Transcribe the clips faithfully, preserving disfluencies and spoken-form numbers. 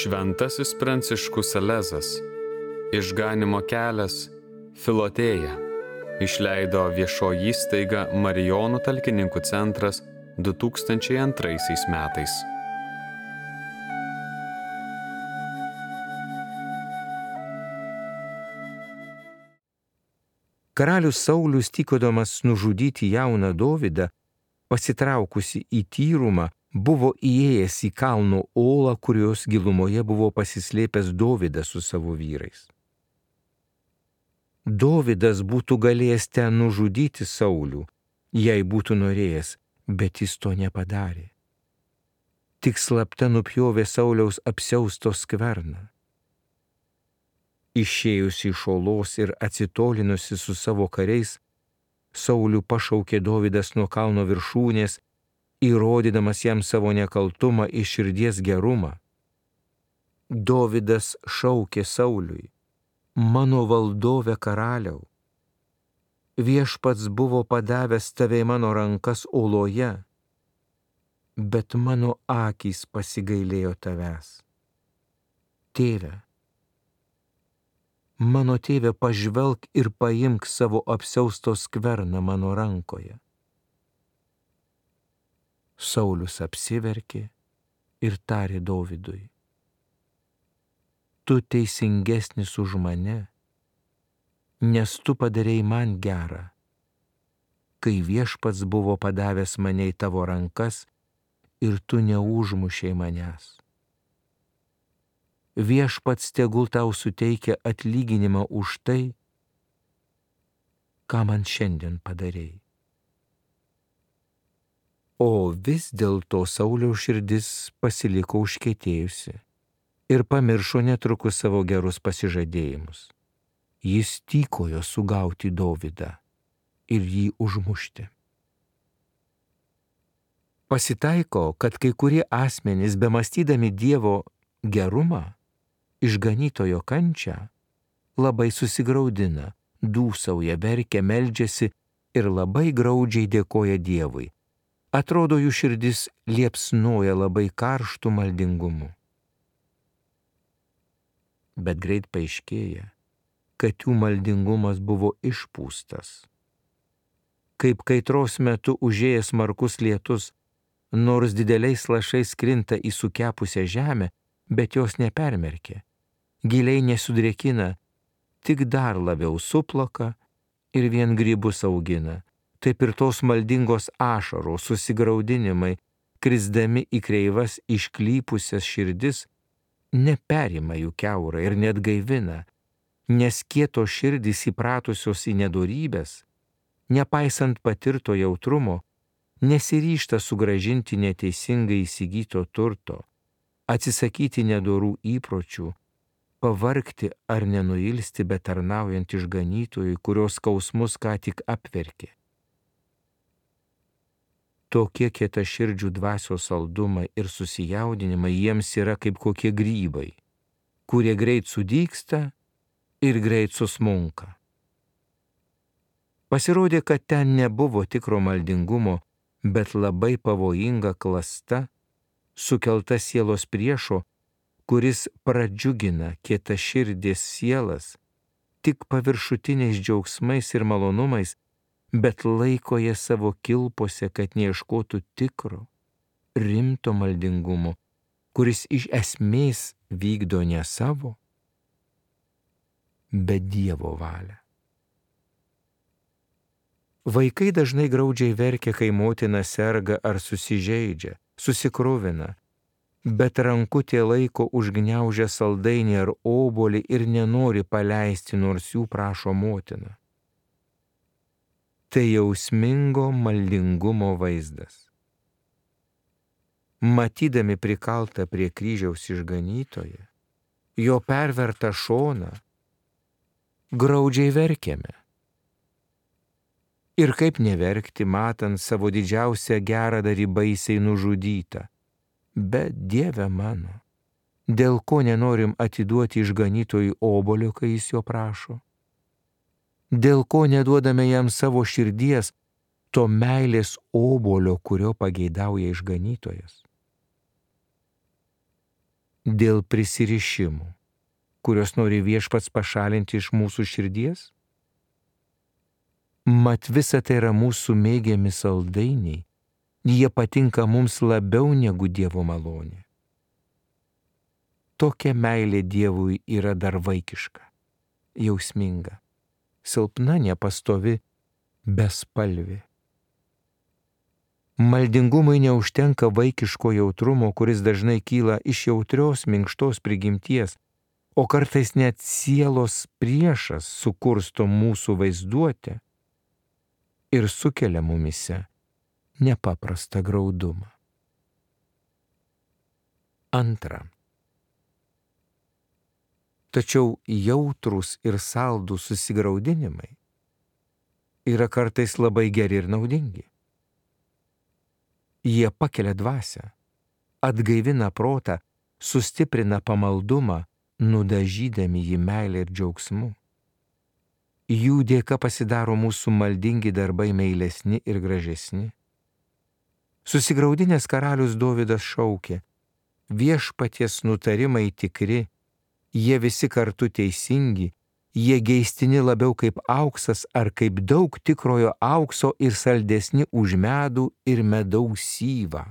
Šventasis Pranciškus Salezas, Išganymo kelias, Filotėja, išleido viešoji įstaiga Marijonų talkininkų centras du tūkstančiai antraisiais metais. Karalius Saulius, tykodamas nužudyti jauną Dovydą, pasitraukusi į tyrumą, buvo įėjęs į kalno olą, kurios gilumoje buvo pasislėpęs Dovydas su savo vyrais. Dovydas būtų galėjęs ten nužudyti Saulių, jei būtų norėjęs, bet jis to nepadarė. Tik slapta nupjovė Sauliaus apsiausto skverną. Išėjusi iš olos ir atsitolinusi su savo kariais, Saulių pašaukė Dovydas nuo kalno viršūnės, įrodydamas jam savo nekaltumą ir širdies gerumą. Dovydas šaukė Sauliui: mano valdove karaliau, viešpats buvo padavęs tave į mano rankas oloje, bet mano akys pasigailėjo tavęs. Tėve, mano tėve, pažvelk ir paimk savo apsiausto skverną mano rankoje. Saulius apsiverkė ir tarė Dovydui: tu teisingesnis už mane, nes tu padarei man gerą, kai viešpats buvo padavęs mane į tavo rankas ir tu neužmušei manęs. Viešpats tegul tau suteikia atlyginimą už tai, ką man šiandien padarei. O vis dėlto Sauliaus širdis pasiliko užkietėjusi ir pamiršo netrukus savo gerus pasižadėjimus. Jis tykojo sugauti Dovydą ir jį užmušti. Pasitaiko, kad kai kurie asmenys, bemąstydami Dievo gerumą, išganytojo kančią, labai susigraudina, dūsauja, verkia, meldžiasi ir labai graudžiai dėkoja Dievui. Atrodo, jų širdis liepsnoja labai karštų maldingumu. Bet greit paaiškėja, kad jų maldingumas buvo išpūstas. Kaip kaitros metu užėjęs smarkus lietus, nors dideliais lašais krinta į sukepusią žemę, bet jos nepermerkia, giliai nesudrėkina, tik dar labiau suplaka ir vien grybus augina. Taip ir tos maldingos ašaros, susigraudinimai, krisdami į kreivas išklypusias širdis, neperima jų kiaurą ir net gaivina, nes kieto širdys įpratusios į nedorybės, nepaisant patirto jautrumo, nesiryžta sugrąžinti neteisingai įsigyto turto, atsisakyti nedorų įpročių, pavargti ar nenuilsti betarnaujant išganytojui, kurios skausmus ką tik apverkė. Tokie kietaširdžių dvasios saldumai ir susijaudinimai jiems yra kaip kokie grybai, kurie greit sudygsta ir greit susmunka. Pasirodė, kad ten nebuvo tikro maldingumo, bet labai pavojinga klasta, sukelta sielos priešo, kuris pradžiugina kietaširdės sielas tik paviršutiniais džiaugsmais ir malonumais, bet laiko jie savo kilpose, kad neieškotų tikro, rimto maldingumo, kuris iš esmės vykdo ne savo, bet Dievo valią. Vaikai dažnai graudžiai verkia, kai motina serga ar susižeidžia, susikruvina, bet rankutė laiko užgniaužia saldainį ar obuolį ir nenori paleisti, nors jų prašo motina. Tai jausmingo maldingumo vaizdas. Matydami prikaltą prie kryžiaus išganytoją, jo pervertą šoną, graudžiai verkiame. Ir kaip neverkti, matant savo didžiausią geradarį baisiai nužudytą. Bet Dieve mano, dėl ko nenorim atiduoti išganytojui obuolio, kai jis jo prašo? Dėl ko neduodame jam savo širdies, to meilės obuolio, kurio pageidauja išganytojas? dėl prisirišimų, kurios nori Viešpats pašalinti iš mūsų širdies? Mat visa tai yra mūsų mėgiami saldainiai, jie patinka mums labiau negu Dievo malonė. Tokia meilė Dievui yra dar vaikiška, jausminga, silpna, nepastovi, bespalvė. Maldingumui neužtenka vaikiško jautrumo, kuris dažnai kyla iš jautrios, minkštos prigimties, o kartais net sielos priešas sukursto mūsų vaizduotę ir sukelia mumise nepaprastą graudumą. Antra. Tačiau jautrūs ir saldūs susigraudinimai yra kartais labai geri ir naudingi. Jie pakelia dvasią, atgaivina protą, sustiprina pamaldumą, nudažydami jį meilę ir džiaugsmu. Jų dėka pasidaro mūsų maldingi darbai meilesni ir gražesni. Susigraudinęs karalius Dovydas šaukė: Viešpaties nutarimai tikri, jie visi kartu teisingi, jie geistini labiau kaip auksas ar kaip daug tikrojo aukso ir saldesni už medų ir medaus syvą.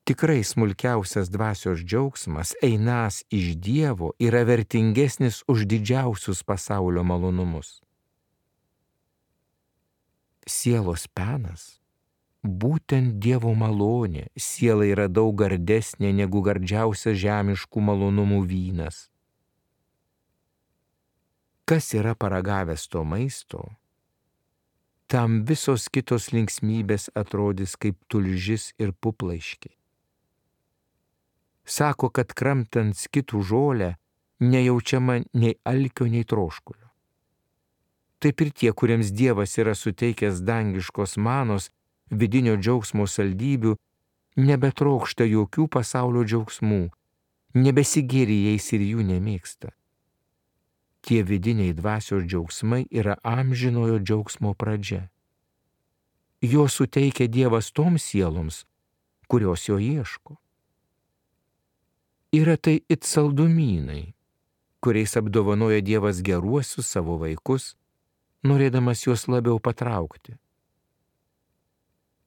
Tikrai smulkiausias dvasios džiaugsmas, einas iš Dievo, yra vertingesnis už didžiausius pasaulio malonumus. Sielos penas būtent Dievo malonė, siela yra daug gardesnė negu gardžiausias žemiškų malonumų vynas. Kas yra paragavęs to maisto, tam visos kitos linksmybės atrodys kaip tulžis ir puplaiškiai. Sako, kad kramtant skitų žolę nejaučiama nei alkio, nei troškulio. Taip ir tie, kuriems Dievas yra suteikęs dangiškos manos, vidinio džiaugsmo saldybių, nebetrokšta jokių pasaulio džiaugsmų, nebesigėri jais ir jų nemėgsta. Tie vidiniai dvasios džiaugsmai yra amžinojo džiaugsmo pradžia. Jo suteikia Dievas toms sieloms, kurios jo ieško. Yra tai it saldumynai, kuriais apdovanoja Dievas geruosius savo vaikus, norėdamas juos labiau patraukti.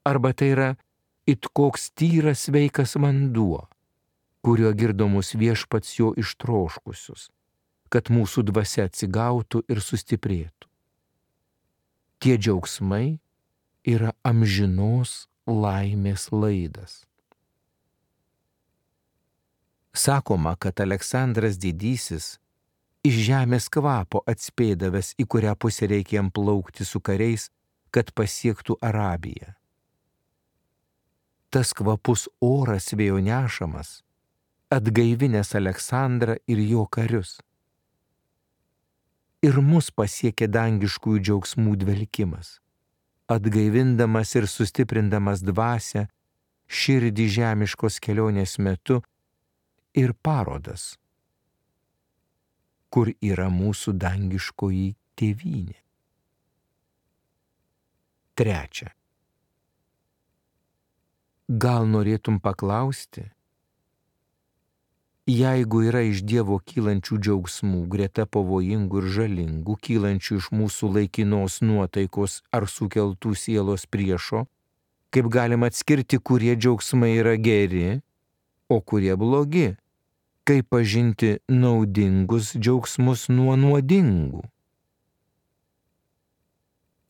Arba tai yra it koks tyras sveikas vanduo, kuriuo girdomus Viešpats jo ištroškusius, kad mūsų dvasia atsigautų ir sustiprėtų. Tie džiaugsmai yra amžinos laimės laidas. Sakoma, kad Aleksandras Didysis iš žemės kvapo atspėdavęs, į kurią pusę reikia jam plaukti su kariais, kad pasiektų Arabiją. Tas kvapus oras vėjo nešamas, atgaivinęs Aleksandrą ir jo karius. Ir mus pasiekė dangiškųjų džiaugsmų dvelkimas, atgaivindamas ir sustiprindamas dvasią, širdį žemiškos kelionės metu ir parodas, kur yra mūsų dangiškoji tėvynė. Trečia. Gal norėtum paklausti, jeigu yra iš Dievo kylančių džiaugsmų greta pavojingų ir žalingų, kylančių iš mūsų laikinos nuotaikos ar sukeltų sielos priešo, kaip galima atskirti, kurie džiaugsmai yra geri, o kurie blogi, kaip pažinti naudingus džiaugsmus nuo nuodingų.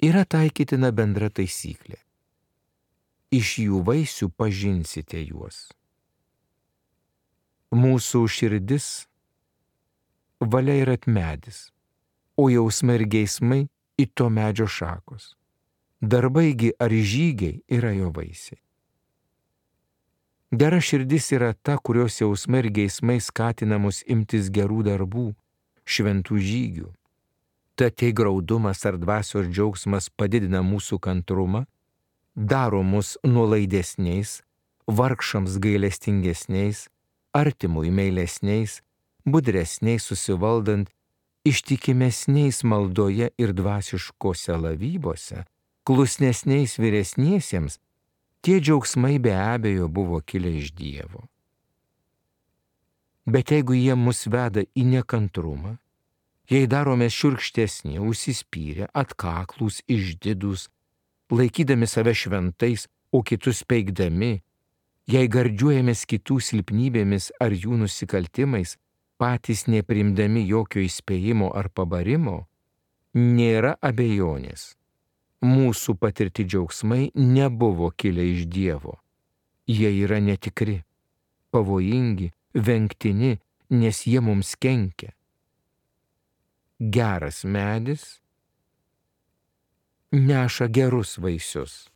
Yra taikytina bendra taisyklė. Iš jų vaisių pažinsite juos. Mūsų širdis valia yra medis, o jausmai ir geismai it to medžio šakos. Darbaigi ar žygiai yra jo vaisiai. Gera širdis yra ta, kurios jausmai ir geismai skatina mus imtis gerų darbų, šventų žygių. Tad tai graudumas ar dvasios džiaugsmas padidina mūsų kantrumą, daro mus nuolaidesniais, vargšams gailestingesniais, artimui meilesniais, budresniais susivaldant, ištikimesniais maldoje ir dvasiškose lavybose, klusnesniais vyresniesiems. Tie džiaugsmai be abejo buvo kilę iš Dievo. Bet jeigu jie mus veda į nekantrumą, jei darome šiurkštesni, užsispyrę, atkaklūs, išdidūs, laikydami save šventais, o kitus peikdami, jei gardžiuojamės kitų silpnybėmis ar jų nusikaltimais, patys neprimdami jokio įspėjimo ar pabarimo, nėra abejonės. Mūsų patirti džiaugsmai nebuvo kilę iš Dievo. Jie yra netikri, pavojingi, vengtini, nes jie mums kenkia. Geras medis neša gerus vaisius.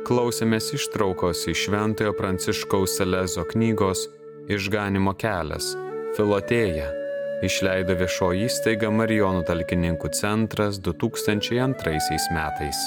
Klausėmės ištraukos iš Šventojo Pranciškaus Salezo knygos Išganymo kelias, Filotėja, išleido viešoji įstaiga Marijonų talkininkų centras du tūkstančiai antraisiais metais.